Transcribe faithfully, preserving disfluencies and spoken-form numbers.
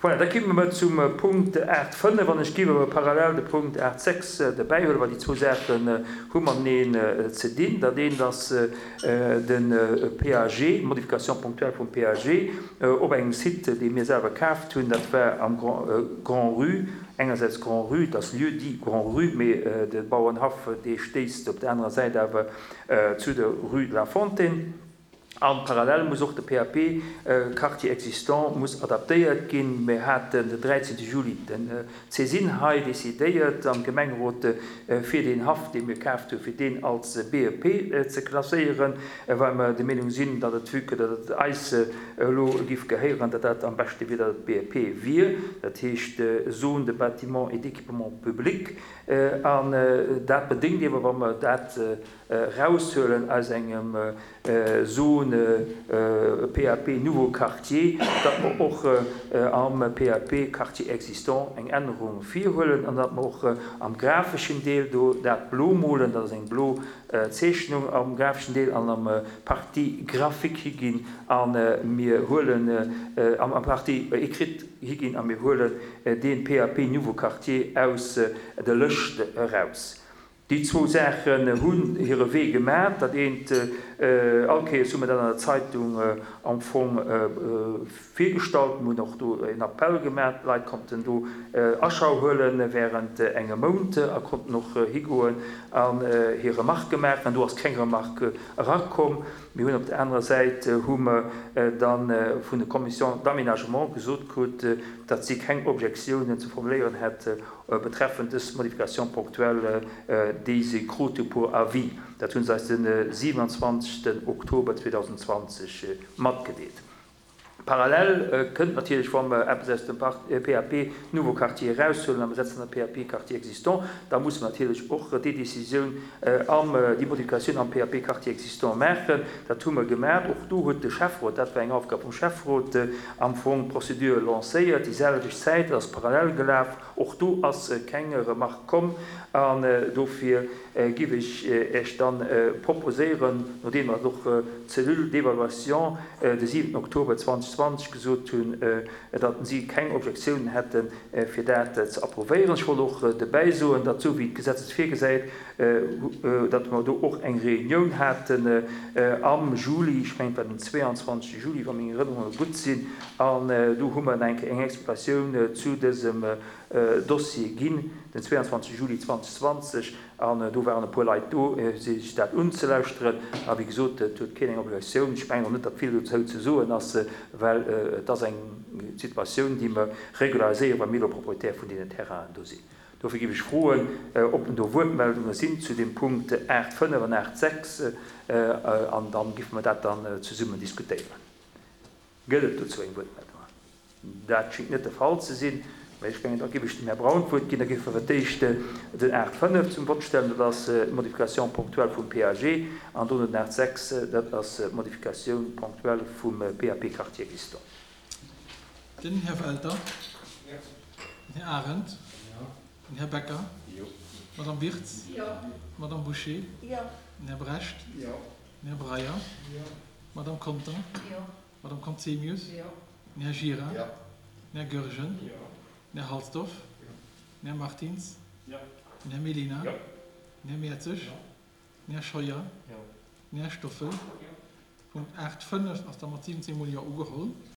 Voilà, da komme mer zum Punkt aacht fënnef an ech géif awer parallel de Punkt aacht sechs derbäihuelen, well déi zwou Saachen hu mateneen ze dinn. Dat eent ass de P A G, d'Modification ponctuelle vum P A G op engem Site, dee mir selwer kaaft hunn. Dat war am Grand-Rue, engersäits Grand-Rue, dat ass Lieu-dit Grand-Rue, mee de Bauernhaff, dee stéisst op der anerer Säit awer zu der Rue de la Fontaine. An parallel muss och de P A P-Quartier existant muss adaptéiert ginn. Mir haten den dräizehnte Juli den Césine hei decidéiert am Gemengerot fir den Haff, dee mir kaaft hunn, fir deen als B E P ze klasséieren, well mer der Meenung sinn, datt et, vue que datt et eis elo giff gehéieren, datt dat am beschte wier, datt et B E P wier, dat heescht Zone de bâtiment et d'équipement public. An dat bedéngt ewer, wa mer dat raushuelen aus engem Zone P A P Nouveau Quartier, datt mer och am P A P Quartier existant eng Ännerung virhuelen an datt mer och am grafischen Deel do dat blo molen, dat ass eng blo Zeechnung am grafischen Deel an am Partie graphique higinn an mir huelen am, am Partie écrite higinn an mir huelen den P A P Nouveau Quartier aus der Lëscht raus. Déi zwou Saachen hunn hire Wee gemaach. Dat eent, all Kéiers hu mir dat an der Zeitung am Fong virgestallt, mir hunn och do en Appell gemaach, d'Leit konnten do Aschau huelen während engem Mount a konnten och higoen an hir Remarque maachen. An do ass keng Remarque erakomm. Mir hunn op der anerer Säit hu mir dann vun der Commission d'aménagement gesot krut, datt si keng Objektiounen ze formuléieren hätt betreffend dës Modification ponctuelle, déi se krute pour avis. Dat hunn se eis den siebenundzwanzigsten Oktober zweitausendzwanzig matgedeelt. Parallel kënnt natierlech, wann mer eppes aus dem P A P Nouveau Quartier raushuelen an wir setzen den P A P Quartier existant, da muss man natierlech och déi Décisioun am, déi Modifikatioun am P A P Quartier existant maachen. Dat hu mer gemaach. Och do huet de Schäfferot, dat war eng Aufgab vum Schäfferot, am Fong d'Prozedure lancéiert, déi selwecht Zäit, dat ass parallel gelaf. Och do ass keng Remarque komm an dofir giff ech Iech dann proposéieren, nodeem wir och d'Cellule d'évaluation de siebten Oktober zweitausendzwanzig gesot hunn, datt si keng Objektioun hätten, fir dat ze approvéieren. Ech wollt och dobäi soen, datt so wéi d'Gesetz es virgesäit, datt mer do och eng Reunioun haten am Juli, ech mengen, et war den zweiundzwanzigsten Juli, wa meng Erinnerungen gutt sinn, an do hu mer eng eng Explikatioun zu dësem Dossier ginn, den zweiundzwanzigsten Juli zweitausendzwanzig, an do waren e puer Leit do, sech dat unzelauschteren. A wéi gesot, et huet keen eng Obligatioun. Ech mengen och net, datt vill dozou ze soen ass, well et ass eng Situatioun, déi mer regulariséieren, wa mir elo Proprietär vun deenen Terrainen do sinn. Dofir gif ech froen, ob do Wuertmeldungen sinn zu dem Punkt acht fënnef an acht sechs, an dann giffen wir dat dann zesummen diskutéieren. Gëtt et dozou eng Wuertmeldung? Dat schingt net de Fall ze sinn. Mä ech mengen, da gif ech dem Herr Braun d'Wuert ginn, da gif wir d'éischt den acht fënnef zum Vott stellen, dat ass d'Modification ponctuelle vum P A G, an dann den acht sechs, dat ass d'Modification ponctuelle vum P A P Quartier existant. Den Herr Welter, den Herr Arendt, den Herr Becker, Madame Wirtz, Madame Boucher, den Herr Brecht, den Herr Breyer, Madame Conter, Madame Conzemius, den Herr Gira, den Herr Goergen, den Herr Halsdorf, den Herr Martins, den Herr Mellina, den Herr Mertzig, den Herr Scheuer, den Herr Stoffel. Punkt acht fënnef ass da mat siwwenzehn Mol Jo ugeholl.